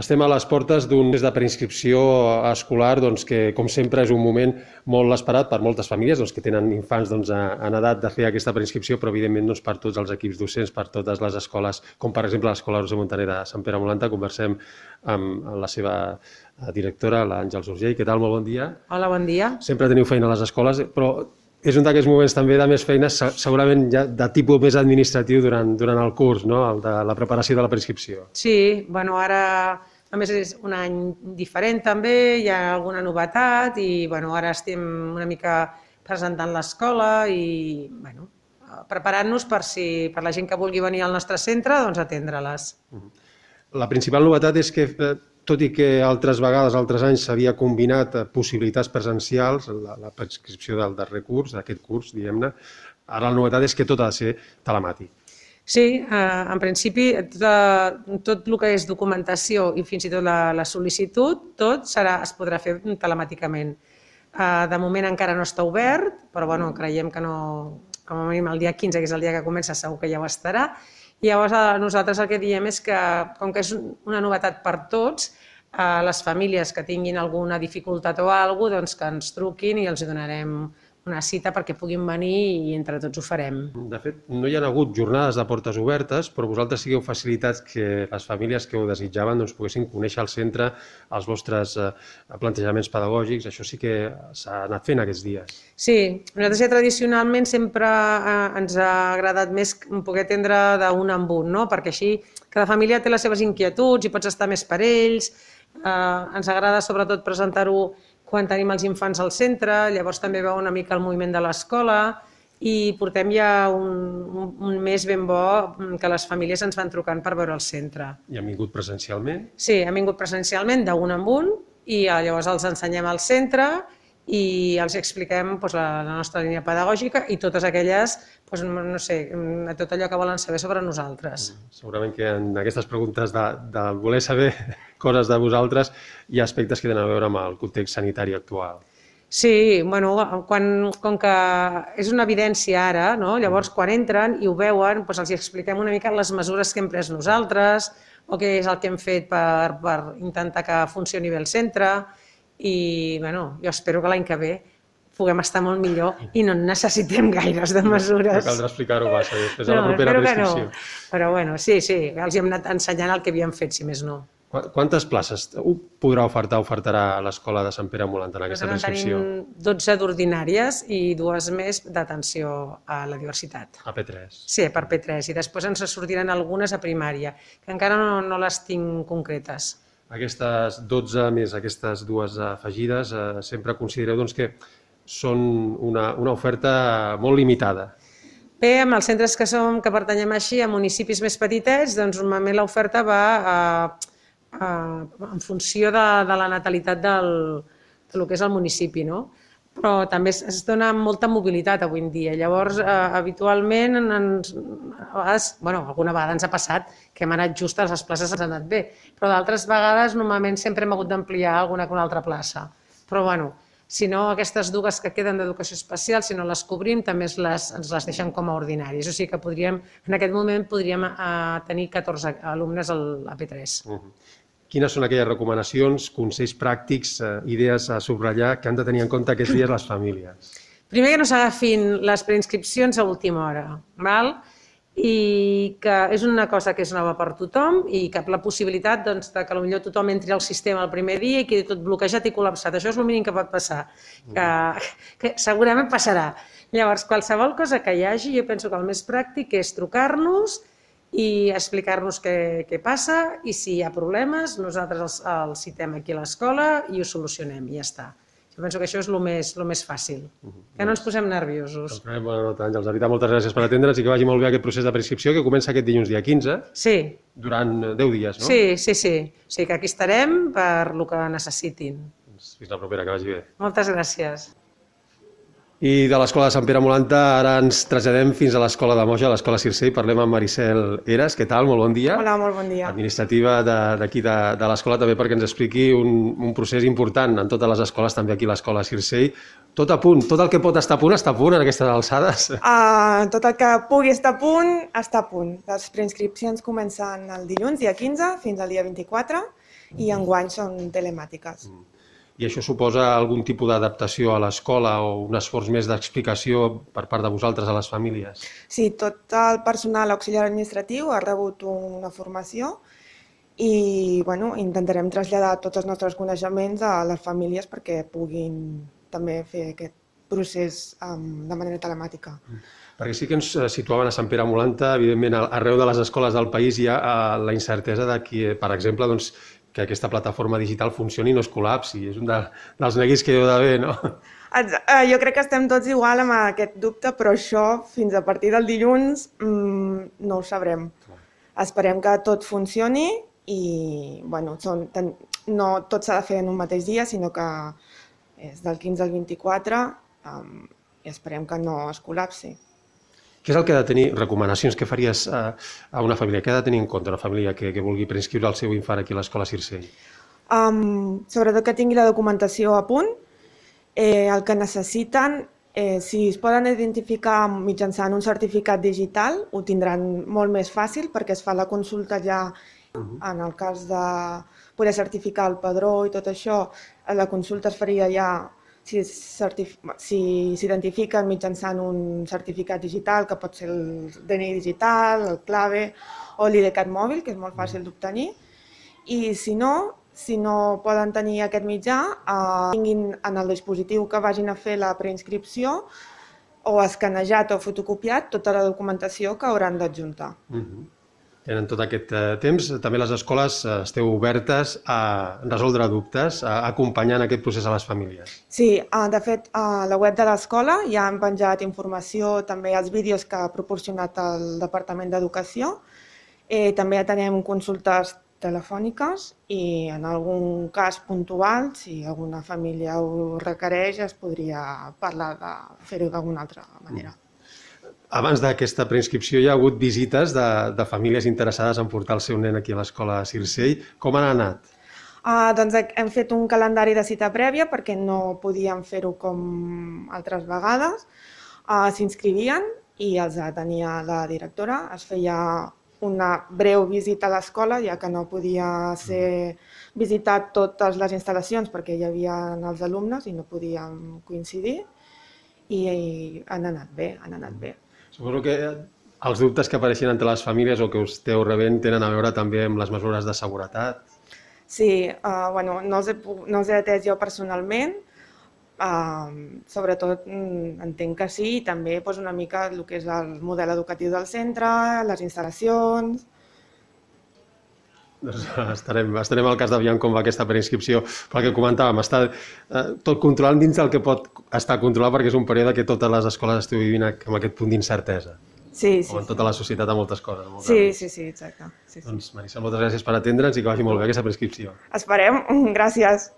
Estem a les portes d'un mes de preinscripció escolar que, com sempre, és un moment molt esperat per moltes famílies que tenen infants en edat de fer aquesta preinscripció, però, evidentment, per tots els equips docents, per totes les escoles, com, per exemple, l'Escola Roser Montaner de Sant Pere Molanta. Conversem amb la seva directora, l'Àngels Urgell. Què tal? Molt bon dia. Hola, bon dia. Sempre teniu feina a les escoles, però és un d'aquests moments també de més feines, segurament ja de tipus més administratiu durant el curs, no? El de la preparació de la preinscripció. Sí, bueno, ara a més és un any diferent també, hi ha alguna novetat i bueno, ara estem una mica presentant l'escola i bueno, preparant-nos per la gent que vulgui venir al nostre centre, doncs atendre-les. La principal novetat és que, tot i que altres vegades, altres anys, s'havia combinat possibilitats presencials, la preinscripció del darrer curs, d'aquest curs, diguem-ne, ara la novetat és que tot ha de ser telemàtic. Sí, en principi tot el que és documentació i fins i tot la sol·licitud, tot es podrà fer telemàticament. De moment encara no està obert, però bueno, creiem que no, com a mínim el dia 15, que és el dia que comença, segur que ja ho estarà. I llavors nosaltres el que diem és que, com que és una novetat per tots, les famílies que tinguin alguna dificultat o alguna cosa, doncs que ens truquin i els donarem una cita perquè puguin venir i entre tots ho farem. De fet, no hi ha hagut jornades de portes obertes, però vosaltres sigueu facilitats que les famílies que ho desitjaven poguessin conèixer el centre, els vostres plantejaments pedagògics. Això sí que s'ha anat fent aquests dies. Sí, nosaltres ja tradicionalment sempre ens ha agradat més poder atendre d'un en un, no? Perquè així cada família té les seves inquietuds i pots estar més per ells. Ens agrada sobretot presentar-ho quan tenim els infants al centre, llavors també veu una mica el moviment de l'escola i portem ja un mes ben bo que les famílies ens van trucant per veure el centre. I han vingut presencialment? Sí, han vingut presencialment d'un en un i llavors els ensenyem al centre i els expliquem la nostra línia pedagògica i totes aquelles, no sé, tot allò que volen saber sobre nosaltres. Segurament que en aquestes preguntes de voler saber coses de vosaltres hi ha aspectes que tenen a veure amb el context sanitari actual. Sí, bueno, com que és una evidència ara, llavors quan entren i ho veuen, els expliquem una mica les mesures que hem pres nosaltres o què és el que hem fet per intentar que funcioni bé el centre i jo espero que l'any que ve puguem estar molt millor i no necessitem gaires de mesures. No caldrà explicar-ho massa després a la propera preinscripció. Però bueno, sí, els hem anat ensenyant el que havíem fet, si més no. Quantes places ofertarà l'escola de Sant Pere Molanta en aquesta preinscripció? Tenim 12 d'ordinàries i 2 més d'atenció a la diversitat. A P3? Sí, per P3, i després ens sortiran algunes a primària, que encara no les tinc concretes. Aquestes 12 més aquestes 2 afegides, sempre considereu que són una oferta molt limitada. Bé, amb els centres que pertanyem així, a municipis més petitets, doncs normalment l'oferta va en funció de la natalitat del que és el municipi, no? Però també es dona molta mobilitat avui en dia. Llavors, habitualment, alguna vegada ens ha passat que hem anat just a les places, ens ha anat bé, però d'altres vegades normalment sempre hem hagut d'ampliar alguna altra plaça. Però si no, aquestes 2 que queden d'educació especial, si no les cobrim, també ens les deixen com a ordinaris. O sigui que en aquest moment podríem tenir 14 alumnes a P3. Quines són aquelles recomanacions, consells pràctics, idees a subratllar que han de tenir en compte aquests dies les famílies? Primer, que no s'agafin les preinscripcions a última hora, i que és una cosa que és nova per tothom i que la possibilitat que potser tothom entri al sistema el primer dia i quedi tot bloquejat i col·lapsat. Això és el mínim que pot passar, que segurament passarà. Llavors, qualsevol cosa que hi hagi, jo penso que el més pràctic és trucar-nos i explicar-nos què passa i si hi ha problemes, nosaltres els citem aquí a l'escola i ho solucionem i ja està. Jo penso que això és el més fàcil, que no ens posem nerviosos. Bona nota, Àngels. De veritat, moltes gràcies per atendre'ns i que vagi molt bé aquest procés de preinscripció que comença aquest dilluns dia 15, durant 10 dies, no? Sí. O sigui que aquí estarem per el que necessitin. Fins la propera, que vagi bé. Moltes gràcies. I de l'Escola de Sant Pere Molanta ara ens traslladem fins a l'Escola de Moja, a l'Escola Circei. Parlem amb Maricel Eras. Què tal? Molt bon dia. Hola, molt bon dia. Administrativa d'aquí de l'escola, també perquè ens expliqui un procés important en totes les escoles, també aquí a l'Escola Circei. Tot a punt, tot el que pot estar a punt en aquestes alçades? Tot el que pugui estar a punt, està a punt. Les preinscripcions comencen el dilluns, dia 15, fins al dia 24, i enguany són telemàtiques. I això suposa algun tipus d'adaptació a l'escola o un esforç més d'explicació per part de vosaltres a les famílies? Sí, tot el personal auxiliar administratiu ha rebut una formació i intentarem traslladar tots els nostres coneixements a les famílies perquè puguin també fer aquest procés de manera telemàtica. Perquè sí que ens situaven a Sant Pere Molanta, evidentment arreu de les escoles del país hi ha la incertesa de que, per exemple, que aquesta plataforma digital funcioni i no es col·lapsi. És un dels neguits que hi ha d'haver, no? Jo crec que estem tots igual amb aquest dubte, però això fins a partir del dilluns no ho sabrem. Esperem que tot funcioni i no tot s'ha de fer en un mateix dia, sinó que és del 15 al 24 i esperem que no es col·lapsi. Què és el que ha de tenir, recomanacions que faries a una família? Què ha de tenir en compte una família que vulgui preinscriure el seu infant aquí a l'escola Circell? Sobretot que tingui la documentació a punt, el que necessiten, si es poden identificar mitjançant un certificat digital, ho tindran molt més fàcil perquè es fa la consulta ja en el cas de poder certificar el padró i tot això, la consulta es faria ja si s'identifiquen mitjançant un certificat digital, que pot ser el DNI digital, el clave o l'IDCAT mòbil, que és molt fàcil d'obtenir. I si no poden tenir aquest mitjà, tinguin en el dispositiu que vagin a fer la preinscripció o escanejat o fotocopiat tota la documentació que hauran d'adjuntar. Tenen tot aquest temps. També les escoles esteu obertes a resoldre dubtes, a acompanyar en aquest procés a les famílies. Sí, de fet, a la web de l'escola ja hem penjat informació, també els vídeos que ha proporcionat el Departament d'Educació. També tenim consultes telefòniques i en algun cas puntual, si alguna família ho requereix, es podria parlar de fer-ho d'alguna altra manera. Abans d'aquesta preinscripció hi ha hagut visites de famílies interessades en portar el seu nen aquí a l'escola Circell. Com han anat? Doncs hem fet un calendari de cita prèvia perquè no podíem fer-ho com altres vegades. S'inscrivien i els atenia la directora. Es feia una breu visita a l'escola, ja que no podia ser visitat totes les instal·lacions perquè hi havia els alumnes i no podíem coincidir. I han anat bé. Suposo que els dubtes que apareixen entre les famílies o que us esteu rebent tenen a veure també amb les mesures de seguretat. Sí, no els he atès jo personalment, sobretot entenc que sí, i també una mica el que és el model educatiu del centre, les instal·lacions. Estarem al cas d'aviam com va aquesta preinscripció, però el que comentàvem, està tot controlant dins del que pot estar controlat perquè és un període que totes les escoles esteu vivint amb aquest punt d'incertesa. Sí. Com en tota la societat a moltes coses. Sí, exacte. Doncs Maricel, moltes gràcies per atendre'ns i que vagi molt bé aquesta preinscripció. Esperem, gràcies.